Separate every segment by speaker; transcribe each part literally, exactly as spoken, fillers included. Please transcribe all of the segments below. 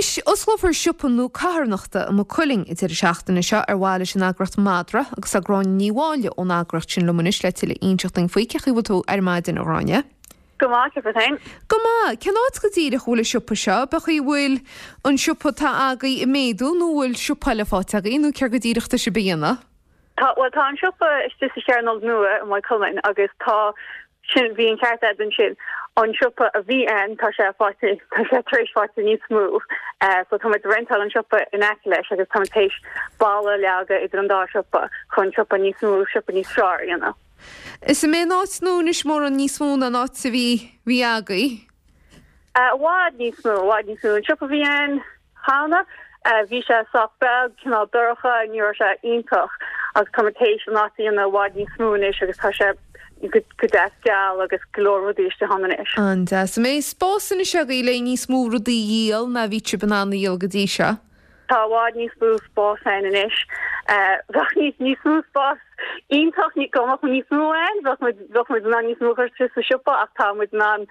Speaker 1: Anois, osclófar siopa nua carthanachta i Maigh Cuilinn an deireadh seachtaine seo ar mhaithe leis an eagraíocht Madra agus tá Gráinne Ní Mháille ón eagraíocht sin liom anois le tuilleadh a inseacht dúinn faoi. Cén chaoi a bhfuil tú ar maidin, a Ghráinne?
Speaker 2: Go maith, cén féin?
Speaker 1: Go maith, cén áit go díreach a bhfuil an siopa seo, an bhfuil an siopa atá agaibh ag méadú nó bhfuil siopa eile faighte agaibh nó céard go díreach atá sibh a dhéanamh?
Speaker 2: Tá well tá an siopa istigh sa Chearnóg Nua i Maigh Cuilinn agus tá sin bhí an ceart agat ansin an siopa a bhí ann tá sé fáite tá sé tar éis fáilte níos mó uh, so tá muid rentáil an siopa in aice leis agus tá théis balla a leagadh idir an dá siopa chun siopa níos mó siopa níos fearr you know.
Speaker 1: Is é an áit nua anois mórán níos mó ná an áit a bhí bhí agaibh?
Speaker 2: Uh, i bhfad níos mó bhfad níos mó an siopa bhí ann cheana uh, bhí sé sách beag cineál dorcha ní raibh sé iontach agus tá théis an áit i bhfad níos mó anois agus tá sé go go deas geal agus go leor rudaí istigh ann anois.
Speaker 1: An-deas mbeidh spás anois agaibh le níos mó rudaí a dhíol ná bhí sibh in ann a dhíol go dtí seo.
Speaker 2: Tá i bhfad níos mó spás ann anois. Bheadh níos níos mó spás iontach ní go mbeadh níos mó ann, bheadh muid bheadh muid in ann níos mó a chur sa siopa ach tá muid in ann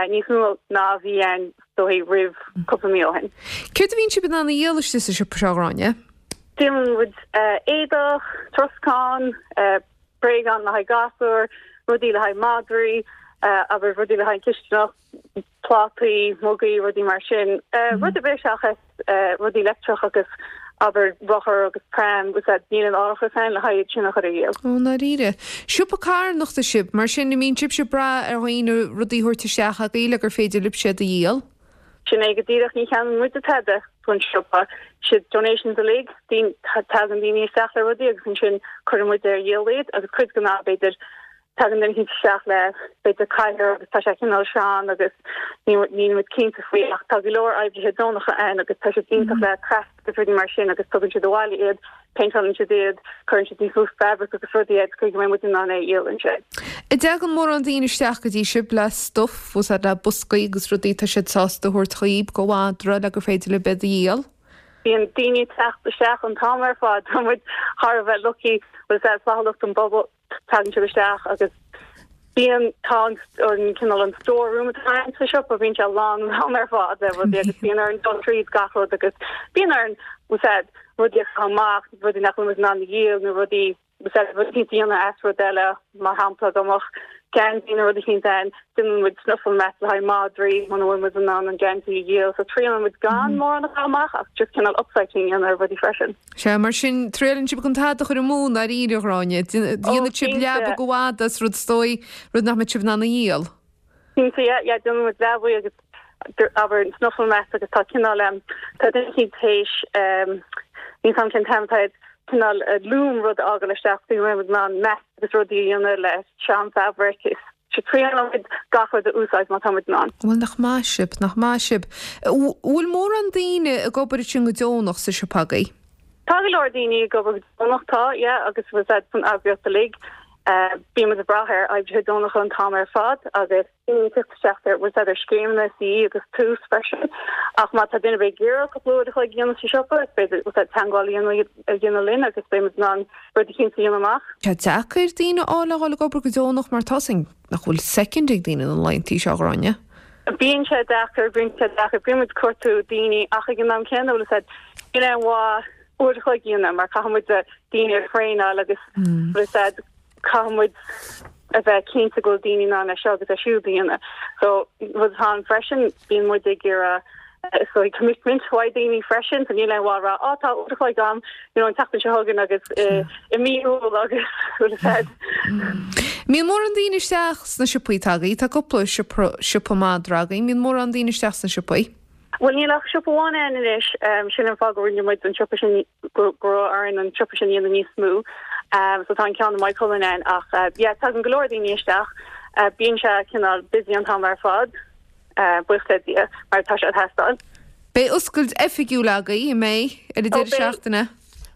Speaker 2: níos mó ná bhí ann dóigh roimh cúpla mí ó shin.
Speaker 1: Céard a bhíonn sibh in ann a dhíol istigh sa siopa seo Gráinne?
Speaker 2: Díolann muid éadach, troscán, bréagáin le haghaidh gasúr, rudaí le haghaidh madraí, abair rudaí le haghaidh cistineach, plátaí, mugaí, rudaí mar sin. Rud ar bith seachas rudaí leictreach agus abair rothar agus pram agus níl an árachas ann le haghaidh sin a chur ar dhíol.
Speaker 1: Ó dáiríre. Siopa carthanachta sibh, mar sin an mbíonn sibhse ag brath ar dhaoine rudaí a thabhairt isteach agaibh le gur féidir libh iad a dhíol?
Speaker 2: Sin é go díreach ní cheannaíonn muid tada don siopa siad donations uilig tagann daoine isteach le rudaí agus ansin cuireann muid ar dhíol iad agus cuid den am b'fhéidir tagann duine isteach le b'fhéidir cathaoir agus tá sé cineál sean agus ní muid cinnte faoi ach tá go leor oibrithe deonacha ann agus tá siad iontach le craft agus rudaí mar sin agus tugann siad abhaile iad péinteálann siad iad cuireann siad níos mó fabric agus rudaí iad go mbeidh muid in ann é a dhíol ansin.
Speaker 1: An dtagann mórán daoine isteach go dtí sibh le stuff úsáid le boscaí agus rudaí tá siad sásta a thabhairt chugaibh do mhadra le gur féidir libh iad a dhíol?
Speaker 2: Bíonn daoine teacht isteach an t-am ar fad tá muid thar a bheith lucky bhfuil flaithiúlacht an bpobal tagann siad isteach agus bíonn tá an cineál an storeroom atá sa siopa bíonn sé lán lán ar fad le rudaí agus bíonn orainn dul tríd gach rud agus bíonn orainn úsáid rudaí a chaitheamh amach rudaí nach bhfuil in ann a dhíol nó rudaí úsáid rudaí déanamh as rud eile mar shampla go mbeadh geansaí nó rud éicint ann déanann muid snuffle mat le haghaidh madraí muna bhfuil muid in ann an geansaí a dhíol so triaileann muid gan mórán a chaitheamh amach ach just cineál upcycling a dhéanamh ar rudaí freisin.
Speaker 1: Sea mar sin triaileann sibh gan tada a chur amú dáiríre a Ghráinne Déanann sibh leaba go bhfada as rud is dóigh rud nach mbeidh sibh in ann a dhíol.
Speaker 2: Cinnte yeah yeah déanann muid leabaí agus abair snuffle mat agus tá cineál um, tá duine éicint théis um, níl a fhios agam cén t-ainm atá cineál loom rud a fhágáil isteach faoi muid in ann mat agus rudaí a dhéanamh le sean fabric is triaileann muid gach rud a úsáid má tá muid in ann.
Speaker 1: Bhuel nach maith sibh nach maith sibh. Bhfuil mórán daoine ag obair sin go deonach sa siopa agaibh?
Speaker 2: Tá go leor daoine ag obair go deonach tá yeah, agus was that san eagraíocht uilig. Uh, Bíonn muid ag brath ar oibrithe deonacha an t-am ar fad agus teacht ar was that ar scéimeanna sí agus tús freisin ach má tá duine ag iarraidh cúpla uair a chloig a dhéanamh sa siopa b'fhéidir was that teagmháil a dhéanamh linn agus beidh in ann rud éicint a dhéanamh amach.
Speaker 1: Tá deacair daoine a fháil ag obair go deonach mar tá nach bhfuil soicind ag daoine na laethanta seo a Ghráinne.
Speaker 2: Bíonn sé deacair bíonn sé deacair bíonn muid ag cuartú daoine ach ag an am céanna bhfuil said níl aon mhaith uair a chloig a dhéanamh mar caithfidh muid daoine a thraenáil agus bhfuil said caithfidh muid a bheith cinnte go bhfuil daoine in ann é seo agus é siúd a dhéanamh. So rud atá ann freisin bíonn muid ag iarraidh so commitment ó daoine freisin so níl aon mhaith rá á tá uair a chloig agam you know an tseachtain seo chugainn agus i mí Iúil agus bhfuil said.
Speaker 1: Mbíonn mórán daoine isteach sna siopaí atá agaibh, tá cúpla siopa madra agaibh, mbíonn mórán daoine isteach sna siopaí.
Speaker 2: Well níl ach siopa amháin ann anois um, sin an fáth go rinne muid an siopa sin go raibh orainn an siopa sin a dhéanamh níos mó. Um, so tá an ceann i Maigh Cuilinn ann ach uh, yeah, tagann go leor daoine isteach uh, bíonn sé cineál busy an t-am ar fad uh, buíochas le Dia mar tá sé ag teastáil.
Speaker 1: Beidh oscailt oifigiúil agaibh an mbeidh ar an deireadh seachtaine.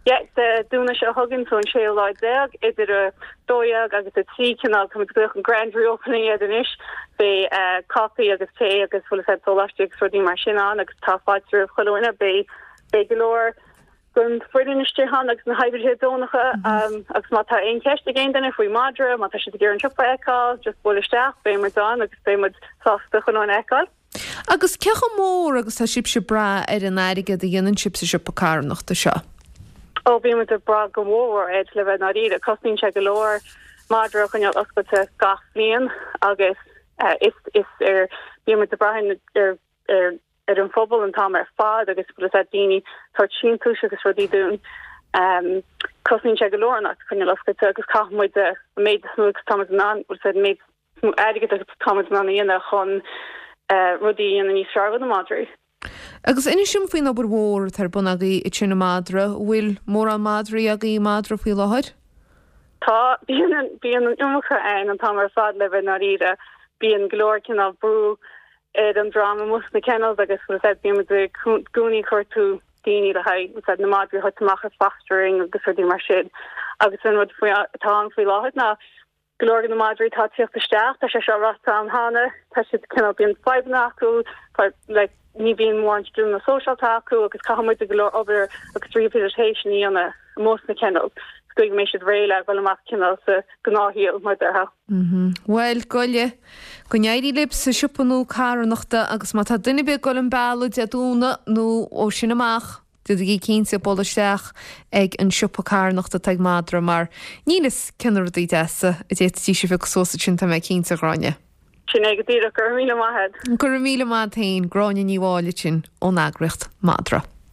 Speaker 2: Yeah, Dé Domhnaigh seo chugainn so an séú lá déag idir a dó dhéag agus a trí cineál tá muid an grand reopening iad anois beidh uh, caife agus tae agus bhfuil said sóláistí agus rudaí mar sin ann agus tá fáilte roimh chuile dhuine beidh beidh go leor den fhoireann istigh ann agus na hoibrithe deonacha um, agus má tá aon cheist ag aon duine faoi madra, má tá siad ag iarraidh an siopa a fheiceáil, just buail isteach, beidh muid ann agus beidh muid sásta chuile dhuine a fheiceáil.
Speaker 1: Agus cé chomh mór agus tá sibhse ag brath ar an airgead a dhéanann sibh sa siopa carthanachta seo?
Speaker 2: Ó bíonn muid ag brath go mór air le bheith dáiríre. Cosnaíonn sé go leor madra a choinneáil oscailte gach bliain agus eh, is is ar bíonn muid ag brath ar ar ar an phobal an t-am ar fad agus bhfuil a daoine tabhairt síntiúis agus rudaí dúinn. Um, cosnaíonn sé go leor an áit a choinneáil oscailte agus caithfidh muid an méid is mó agus táimid in ann bhfuil an méid is mó airgead agus táimid in ann a dhéanamh chun uh, rudaí a dhéanamh níos fearr do na madraí.
Speaker 1: Agus inis dom faoin obair mhór atá ar bun agaibh ansin i Madra, bhfuil mórán madraí agaibh i Madra faoi láthair?
Speaker 2: Tá bíonn bíonn an iomarca ann an t-am ar fad le bheith dáiríre, bíonn go leor cineál brú ar an dream amuigh sna kennels agus bhfuil a fhios bíonn muid i gcónaí ag cuartú daoine le haghaidh na madraí a thabhairt amach ar fostering agus rudaí mar sin. Agus an rud faoi atá ann faoi láthair ná go leor de na madraí atá ag tíocht isteach, tá sé seo ráite agam cheana, tá siad cineál bíonn fadhbanna acu, like, ní bhíonn mórán scileanna sóisialta acu agus caithfidh muid go leor obair agus rehabilitation a dhéanamh amuigh sna kennels. Go mbeidh siad réidh le dul amach cineál sa ghnáthshaol mar déarfá.
Speaker 1: Bhuel, goile, go n-éirí libh sa siopa nua carthanachta agus má tá duine ar bith ag dul an bealach Dé Domhnaigh nó ó sin amach, déanaigí cinnte dul isteach ag an siopa carthanachta atá ag Madra mar níl a fhios cé na rudaí deasa a d'fhéadfaidís a phiocadh suas ansin tá mé cinnte, a Ghráinne.
Speaker 2: Sin é go díreach go raibh míle maith agat.
Speaker 1: Go raibh míle maith agat féin, Gráinne Ní Mháille sin ón eagraíocht Madra.